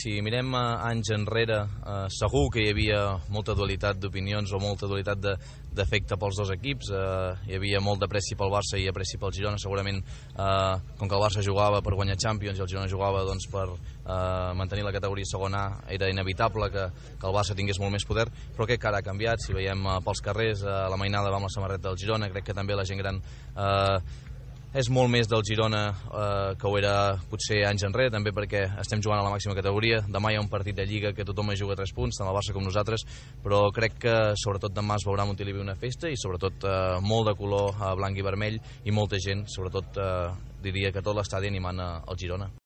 si mirem anys enrere, segur que hi havia molta dualitat d'opinions o molta dualitat d'efecte pels dos equips. Hi havia molt d'apreci pel Barça i apreci pel Girona. Segurament, com que el Barça jugava per guanyar Champions i el Girona jugava per mantenir la categoria segona A, era inevitable que el Barça tingués molt més poder, però crec que ara ha canviat. Si veiem pels carrers la mainada va amb la samarreta del Girona, crec que també la gent gran és molt més del Girona que ho era potser anys enrere, també perquè estem jugant a la màxima categoria. Demà hi ha un partit de Lliga que tothom es juga 3 punts, tant el Barça com nosaltres, però crec que sobretot demà es veurà a Montilivi una festa i sobretot molt de color blanc i vermell i molta gent, sobretot diria que tot l'estadi animant el Girona.